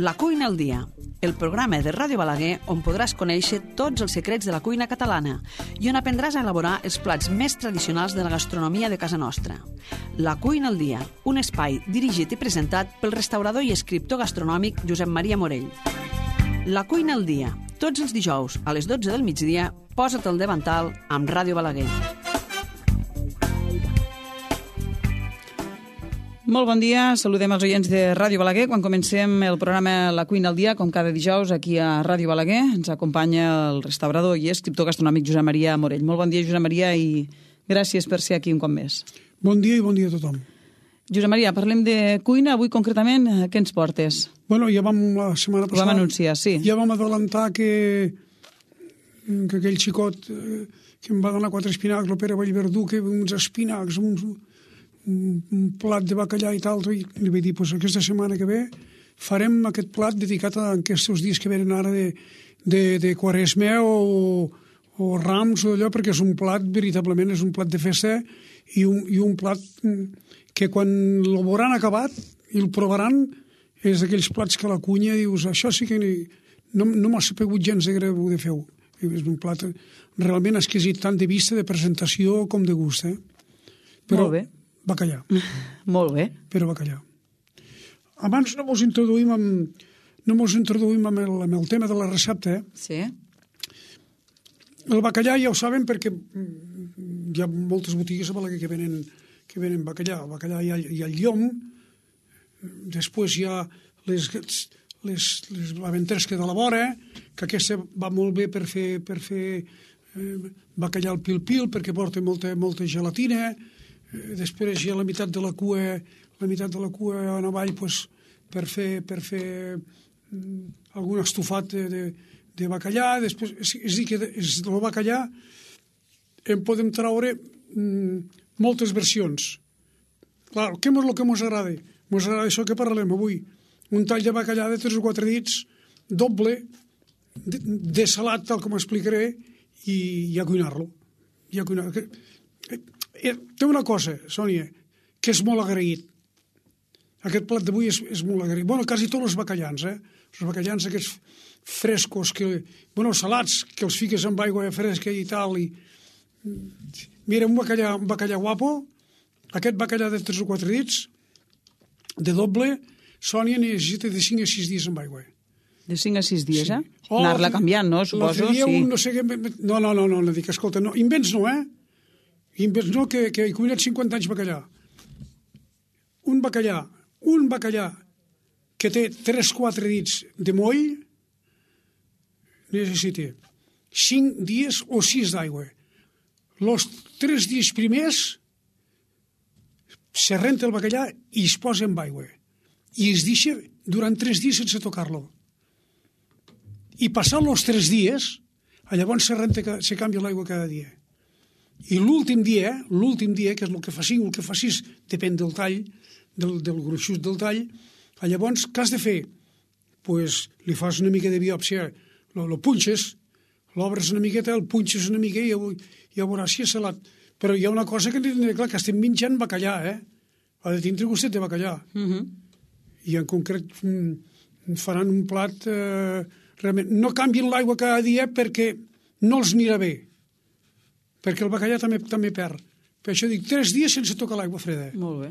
La cuina al dia, el programa de Ràdio Balaguer on podràs conèixer tots els secrets de la cuina catalana i on aprendràs a elaborar els plats més tradicionals de la gastronomia de casa nostra. La cuina al dia, un espai dirigit i presentat pel restaurador i escriptor gastronòmic Josep Maria Morell. La cuina al dia, tots els dijous a les 12 del migdia, posa't al davantal amb Ràdio Balaguer. Molt bon dia, saludem els oients de Ràdio Balaguer quan comencem el programa La cuina al dia, com cada dijous aquí a Ràdio Balaguer. Ens acompanya el restaurador i escriptor gastronòmic Josep Maria Morell. Molt bon dia, Josep Maria, i gràcies per ser aquí un cop més. Bon dia i bon dia a tothom. Josep Maria, parlem de cuina. Avui concretament, què ens portes? Bueno, ja vam la setmana passada... Ho vam anunciar, sí. Ja vam adelantar que aquell xicot que em va donar 4 espinacs, el Pere Vallverdú, que uns espinacs, un plat de bacallà i tal, i li vaig dir, pues, aquesta setmana que ve farem aquest plat dedicat a aquests dies que venen ara de Quaresma o Rams o allò, perquè és un plat, veritablement, és un plat de festa i un plat que quan el veuran acabat i el provaran és d'aquells plats que la cunya dius, això sí que no m'ha sapigut gens de greu de fer-ho. És un plat realment exquisit, tant de vista, de presentació com de gust. Però, molt bé. Bacallà. Molt bé. Però bacallà. Abans no mos introduïm amb el tema de la recepta. Sí. El bacallà ja ho saben perquè hi ha moltes botigues a Balaguer que venen bacallà. El bacallà hi ha el llom, després hi ha les aventresques de la vora, que aquesta va molt bé per fer bacallà al pil-pil perquè porta molta gelatina. Després hi ha la meitat de la cua en avall pues, per fer algun estofat de bacallà. Després, és dir, que del bacallà en podem treure moltes versions. Clar, què és el que ens agrada? Ens agrada això que parlem avui. Un tall de bacallà de 3 o 4 dits, doble, de salat, tal com explicaré, i a cuinar-lo. Té una cosa, Sònia, que és molt agraït. Aquest plat d'avui és molt agraït. Bueno, quasi tots els bacallans, Els bacallans aquests frescos, salats, que els fiques amb aigua fresca i tal. Mira, un bacallà guapo, aquest bacallà de 3 o 4 dits, de doble, Sònia necessita de 5 a 6 dies amb aigua. De 5 a 6 dies, sí. Anar-la canviant, no? Suposo, sí. No dic, escolta, no, invents no, Invents no, que he cuinat 50 anys bacallà. Un bacallà que té 3-4 dits de moll necessita 5 dies o 6 d'aigua. Els 3 dies primers se renta el bacallà i es posa amb aigua. I es deixa durant 3 dies sense tocar-lo. I passant els 3 dies, llavors se canvia l'aigua cada dia. I l'últim dia, que és el que facis, depèn del tall, del gruixut del tall, llavors, què has de fer? Pues, li fas una mica de biòpsia, lo punxes, l'obres una miqueta, el punxes una mica i ja veuràs si és salat. Però hi ha una cosa que hem de tenir clar, que estem menjant bacallà, Ha de tindre gustet de bacallà. I en concret faran un plat... realment, no canvien l'aigua cada dia perquè no els anirà bé. Perquè el bacallà també perd. Per això dic, 3 dies sense tocar l'aigua freda. Molt bé.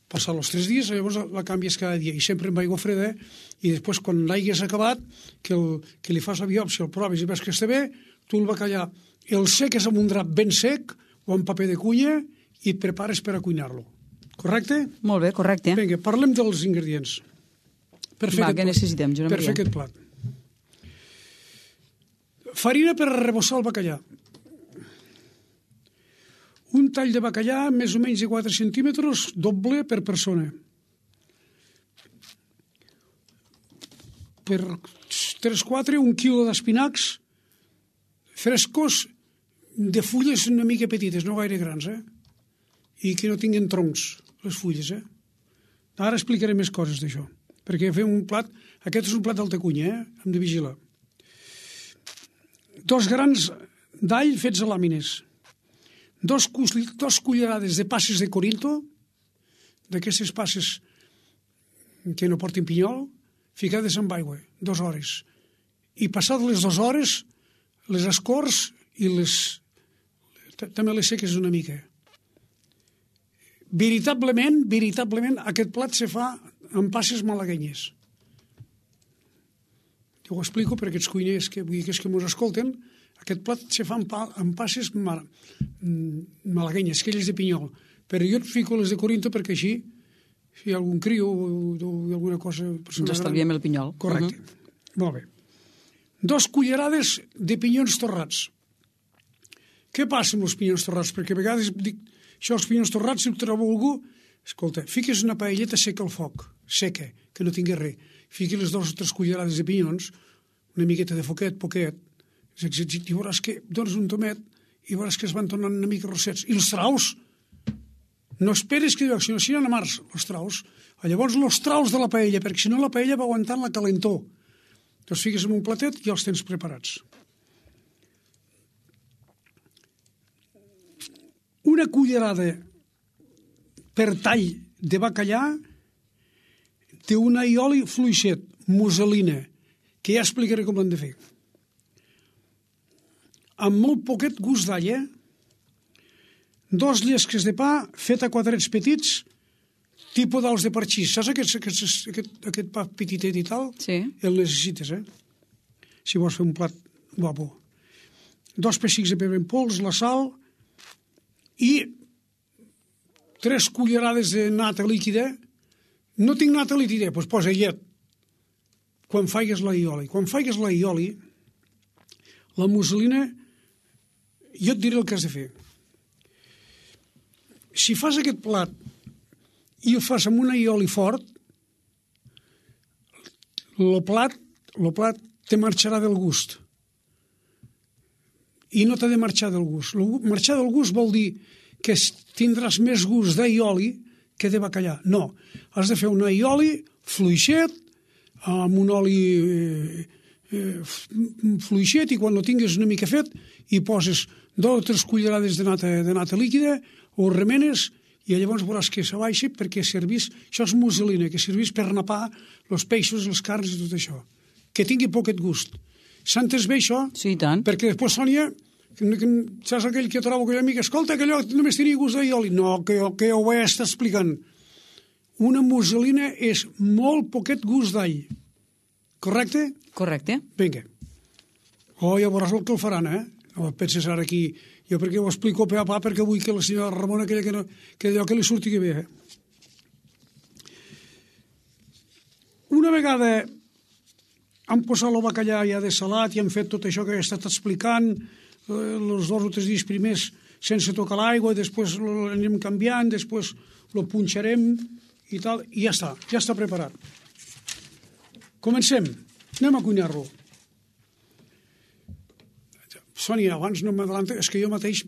Passar els 3 dies, llavors la canvies cada dia, i sempre amb aigua freda, i després, quan l'haguis acabat, que li fas la biòpsia, el provis i veus que està bé, tu el bacallà el seques amb un drap ben sec o amb paper de cuina i et prepares per a cuinar-lo. Correcte? Molt bé, correcte. Vinga, parlem dels ingredients. Què necessitem, Josep Maria? Per fer aquest plat. Farina per arrebossar el bacallà. Un tall de bacallà més o menys de 4 centímetres, doble per persona. Per 3-4, 1 quilo d'espinacs frescos de fulles una mica petites, no gaire grans, i que no tinguin troncs, les fulles, Ara explicaré més coses d'això, perquè fem un plat, aquest és un plat d'alta cunya, hem de vigilar. 2 grans d'all fets a làmines, 2 cullerades de passes de Corinto, d'aquestes passes que no portin pinyol, ficades amb aigua, 2 hores. I passat les 2 hores, les escorts i també les seques una mica. Veritablement, aquest plat se fa amb passes malaguenyes. Jo ho explico per aquests cuiners que ens escolten. Aquest plat se fa amb passes malaguenyes, aquelles de pinyol. Però jo et fico les de Corinto perquè així, si hi ha algun crio o alguna cosa... Ens estalviem el pinyol. Correcte. Molt bé. 2 cullerades de pinyons torrats. Què passa amb els pinyons torrats? Perquè a vegades dic, això els pinyons torrats, si ho trobo algú, escolta, fiques una paelleta seca al foc, seca, que no tingui res. Fiqui les 2 o 3 cullerades de pinyons, una miqueta de foquet, poquet, i veuràs que dones un tomet i veuràs que es van tornant una mica rossets. I els traus, no esperes que sinó si no a març, els traus. Llavors els traus de la paella, perquè si no la paella va aguantant la calentor. Els fiques en un platet i els tens preparats. Una cullerada per tall de bacallà d'un aioli fluixet, musselina, que ja explicaré com l'hem de fer. Amb molt poquet gust d'all, 2 llesques de pa fet a quadrats petits, tipus d'als de parxís. Saps aquest pa petitet i tal? Sí. El necessites, si vols fer un plat guapo. 2 pessics de pebre en pols, la sal i 3 cullerades de nata líquida. No tinc nata líquida, doncs posa llet. Quan faigues l'aioli. Quan faigues l'aioli, la musselina, jo et diré el que has de fer. Si fas aquest plat i el fas amb un aioli fort, el plat te marxarà del gust. I no t'ha de marxar del gust. Marxar del gust vol dir que tindràs més gust d'aioli que de bacallà. No, has de fer un aioli fluixet, amb un oli fluixet, i quan ho tinguis una mica fet hi poses 2 o 3 cullerades de nata líquida, ho remenes i llavors veuràs que s'abaixa perquè servís, això és musselina, que servís per napar els peixos, les carns i tot això. Que tingui poquet gust. S'ha entès bé això? Sí, i tant. Perquè després, Sònia, saps aquell que trobo aquell amic, escolta, que allò només tenia gust d'aioli. No, que ho he estat explicant. Una musselina és molt poquet gust d'all. Correcte? Correcte. Vinga. Ja veuràs el que el faran, No penses ara aquí... Jo perquè ho explico a pa perquè vull que la senyora Ramona que allò que li surti bé. Una vegada han posat el bacallà ja dessalat i han fet tot això que he estat explicant, els 2 o 3 dies primers sense tocar l'aigua, després l'anem canviant, després lo punxarem i tal, i ja està preparat. Comencem. Anem a cuinar-lo. Sònia, abans no m'adelanto, és que jo mateix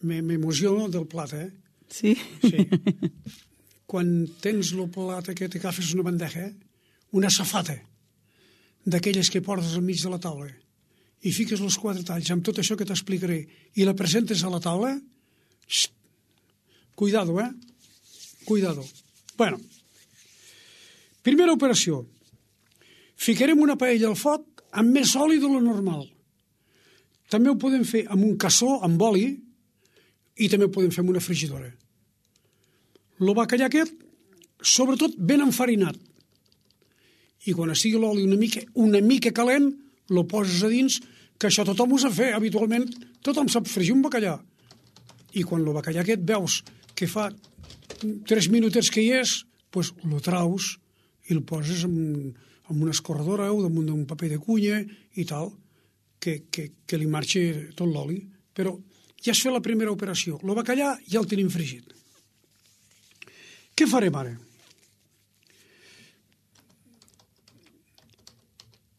m'emociono del plat, Sí? Sí. Quan tens el plat aquest, agafes una bandeja, una safata, d'aquelles que portes al mig de la taula, i fiques els 4 talls amb tot això que t'explicaré, i la presentes a la taula, cuidado, Cuidado. Bueno, primera operació. Ficarem una paella al foc amb més oli de lo normal. També ho podem fer amb un cassó, amb oli, i també ho podem fer amb una frigidora. El bacallà aquest, sobretot ben enfarinat. I quan estigui l'oli una mica calent, lo poses a dins, que això tothom ho sap fer, habitualment tothom sap fregir un bacallà. I quan el bacallà aquest veus que fa 3 minutets que hi és, doncs lo traus i el poses en una escorredora o damunt d'un paper de cunya i tal, que li marxi tot l'oli. Però ja has fet la primera operació. El bacallà ja el tenim fregit. Què farem ara?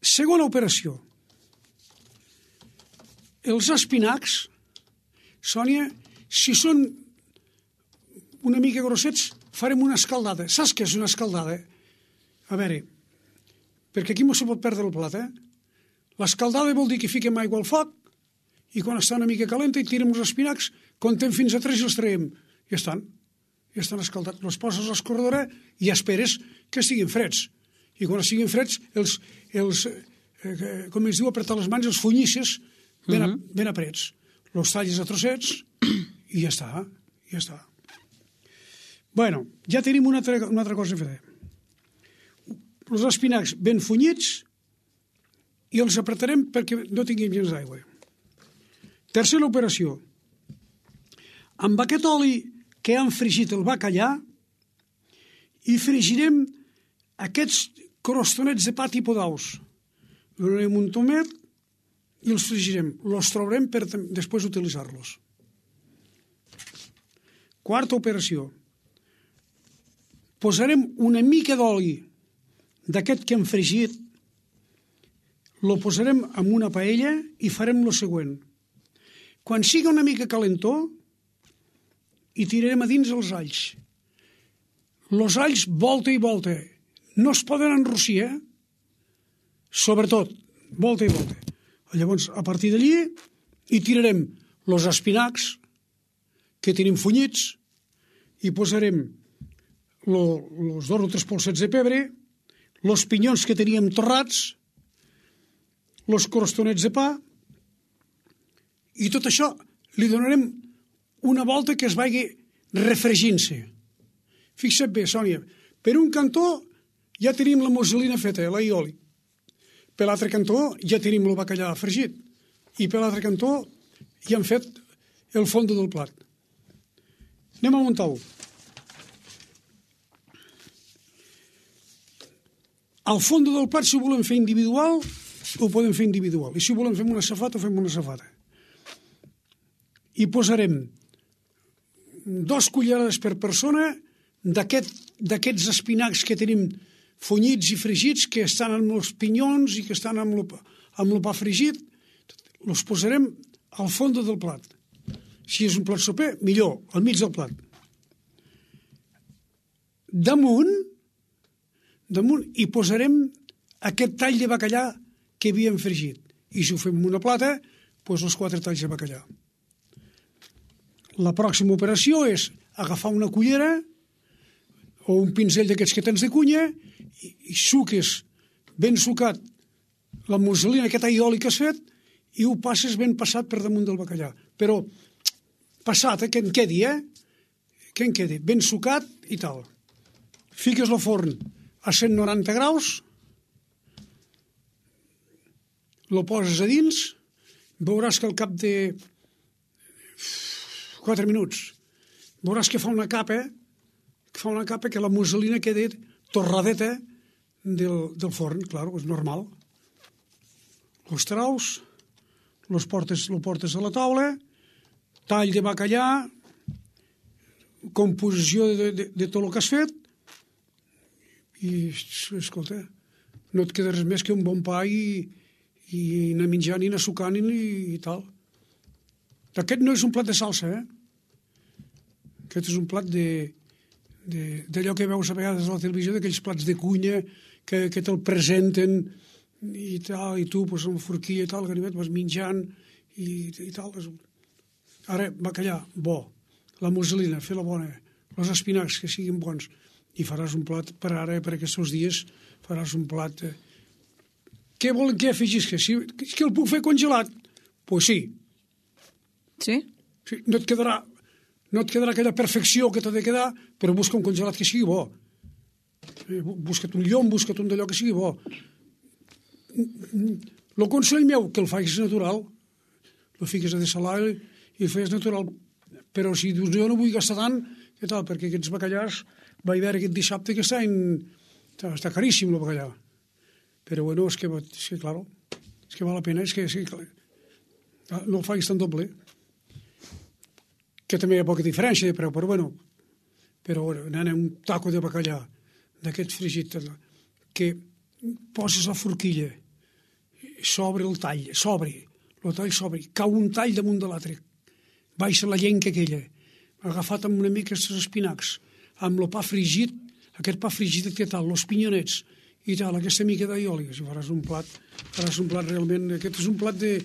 Segona operació. Els espinacs, Sònia, si són una mica grossets, farem una escaldada. Saps què és una escaldada? A veure, perquè aquí no se pot perdre el plat, L'escaldada vol dir que fiquem aigua al foc i quan està una mica calenta i tirem els espinacs, contem fins a 3 i els traiem. Ja estan escaldats. Els poses a l'escorredora i esperes que estiguin freds. I quan estiguin freds, com es diu, apretar les mans, els funyisses ben aprets. Els talles a trossets i ja està. Bueno, ja tenim una altra cosa a fer. Els espinacs ben funyits i els apretarem perquè no tinguin gens d'aigua. Tercera operació. Amb aquest oli que hem fregit el bacallà i fregirem aquests crostonets de pa tipus d'aus. Donarem un tomet i els fregirem. Els trobarem per després utilitzar-los. Quarta operació. Posarem una mica d'oli d'aquest que hem fregit, lo posarem en una paella i farem lo següent. Quan siga una mica calentó, hi tirarem a dins els alls. Els alls, volta i volta. No es poden enrossir, Sobretot, volta i volta. Llavors, a partir d'allí, hi tirarem els espinacs que tenim funyits, hi posarem els 2 o 3 polsets de pebre, els pinyons que teníem torrats, els crostonets de pa, i tot això li donarem una volta que es vagi refregint-se. Fixa't bé, Sònia, per un cantó ja tenim la musselina feta, l'aioli. Per l'altre cantó ja tenim el bacallà fregit. I per l'altre cantó ja hem fet el fondo del plat. Anem a muntar-ho. Al fondo del plat, si ho volem fer individual, ho podem fer individual. I si ho volem fer amb una safata, ho fem amb una safata. Hi posarem 2 cullerades per persona d'aquests espinacs que tenim funyits i fregits, que estan amb els pinyons i que estan amb el pa fregit. Els posarem al fons del plat. Si és un plat soper, millor, al mig del plat. Damunt hi posarem aquest tall de bacallà que havíem fregit. I si ho fem en una plata, doncs els 4 talls de bacallà. La pròxima operació és agafar una cullera o un pinzell d'aquests que tens de cunya i suques ben sucat la musselina, aquest aioli que has fet, i ho passes ben passat per damunt del bacallà. Però passat, que en quedi, Que en quedi, ben sucat i tal. Fiques al forn a 190 graus, lo poses a dins, veuràs que al cap de 4 minuts veuràs que fa una capa que la musselina queda torradeta del forn, clar, és normal. Els traus, lo portes a la taula, tall de bacallà, composició de tot el que has fet, i, escolta, no et queda res més que un bon pa i anar menjant i anar sucant i tal. Aquest no és un plat de salsa, Aquest és un plat d'allò que veus a vegades a la televisió, d'aquells plats de cunya que te'l presenten i tal, i tu, pues, amb forquilla i tal, ganivet, vas menjant i tal. Ara, bacallà, bo. La musselina, fer-la bona. Els espinacs, que siguin bons. I faràs un plat, per ara, per aquests dies, faràs un plat... Què volen que afegisca? És que el puc fer congelat? Pues sí. Sí? Sí, no et quedarà aquella perfecció que t'ha de quedar, però busca un congelat que sigui bo. Busca't un llom, busca't un d'allò que sigui bo. El consell meu, que el facis natural, el fiques a dessalar i el fes natural. Però si dius, jo no vull gastar tant, què tal? Perquè aquests bacallars, vaig veure aquest dissabte que està caríssim el bacallà. Però bueno, és que claro, és que val la pena, és que no el facis tan doble. Que també hi ha poca diferència de preu, però bueno, un taco de bacallà d'aquest fregit que poses la forquilla, s'obre el tall, cau un tall damunt de l'altre, baixa la llenca aquella, agafat amb una mica els espinacs, amb el pa fregit, aquest pa fregit que tal, els pinyonets i tal, aquesta mica d'aioli, si faràs un plat realment, aquest és un plat de...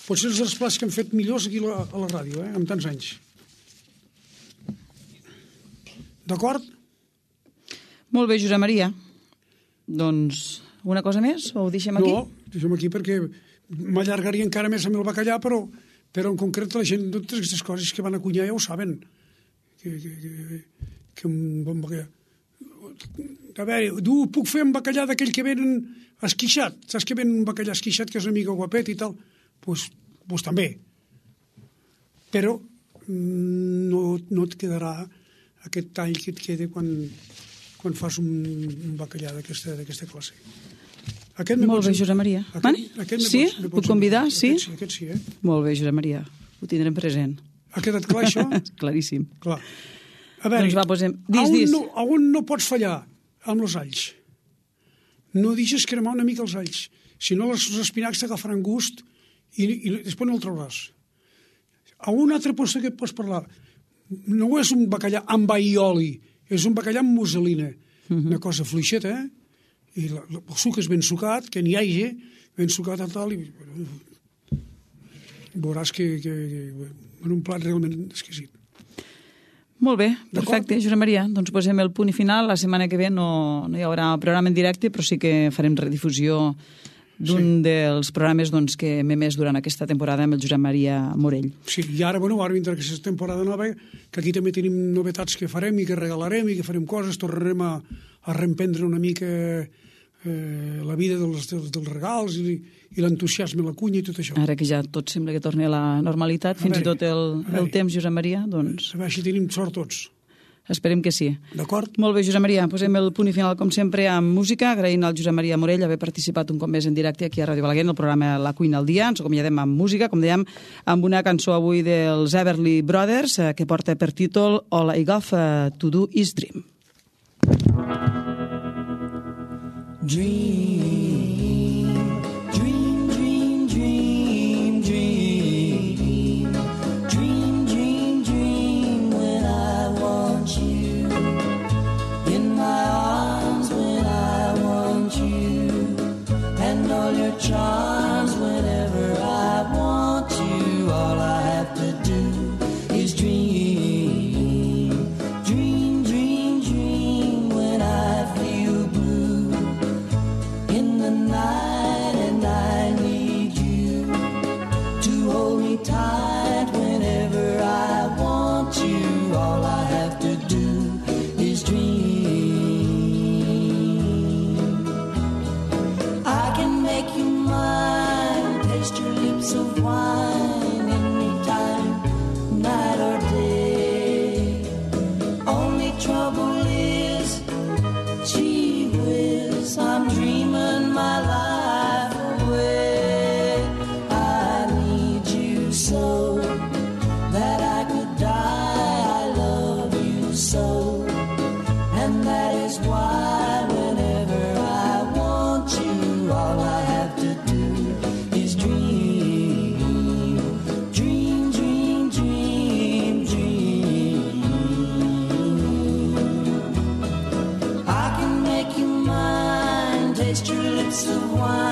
Potser és dels plats que hem fet millors aquí a la ràdio, amb tants anys. D'acord? Molt bé, Josep Maria. Doncs una cosa més o ho deixem aquí? No, deixem aquí perquè m'allargaria encara més amb el bacallà, però en concret la gent, totes aquestes coses que van a cuinar ja ho saben. Que un bon bacallà... A veure, puc fer un bacallà d'aquell que venen esquixat. Saps que venen un bacallà esquixat que és una mica guapet i tal? Doncs també. Però no et quedarà aquest tall que et queda quan fas un bacallà d'aquesta classe. Molt bé, Josep Maria. Sí? Puc convidar? Sí? Aquest sí, Molt bé, Josep Maria. Ho tindrem present. Ha quedat clar, això? Claríssim. Clar. A veure, doncs va, posem... Dis. On no pots fallar? Amb els alls. No deixes cremar una mica els alls. Si no, els espinacs t'agafaran gust i després no el trauràs. A un altre lloc que et pots parlar, no és un bacallà amb aioli, és un bacallà amb musselina. Una cosa fluixeta, i el suc és ben sucat, que n'hi hagi, ben sucat a tal, i veuràs que en un plat realment exquisit. Molt bé, perfecte, Josep Maria. Doncs posem el punt i final. La setmana que ve no hi haurà programa en directe, però sí que farem redifusió d'un dels programes que hem emès durant aquesta temporada amb el Josep Maria Morell. Sí, i ara vindrà aquesta temporada nova, que aquí també tenim novetats que farem i que regalarem i que farem coses, tornarem a reemprendre una mica la vida dels regals i l'entusiasme, la cunya i tot això. Ara que ja tot sembla que torni a la normalitat, fins i tot el temps, Josep Maria, doncs... A veure si tenim sort tots. Esperem que sí. D'acord? Molt bé, Josep Maria, posem el punt i final, com sempre, amb música, agraint al Josep Maria Morell haver participat un cop més en directe aquí a Ràdio Balaguer, en el programa La Cuina al Dia. Ens acomiadem amb música, com dèiem, amb una cançó avui dels Everly Brothers, que porta per títol All I Got to Do Is Dream. Dream, dream, dream, dream, dream. Dream, dream, dream when I want you. In my arms when I want you. And all your charms whenever I want you. All I have to do is dream. Dream, dream, dream when I feel blue in the night, and I need you to hold me tight whenever I want you. All I have to do is dream. I can make you mine, taste your lips of wine anytime, night or day. Only trouble is, gee whiz, I'm dreaming my life away. I need you so that I could die. I love you so, and that is why whenever I want you, all I have to do is dream. Dream, dream, dream, dream. I can make you mine, taste your lips of wine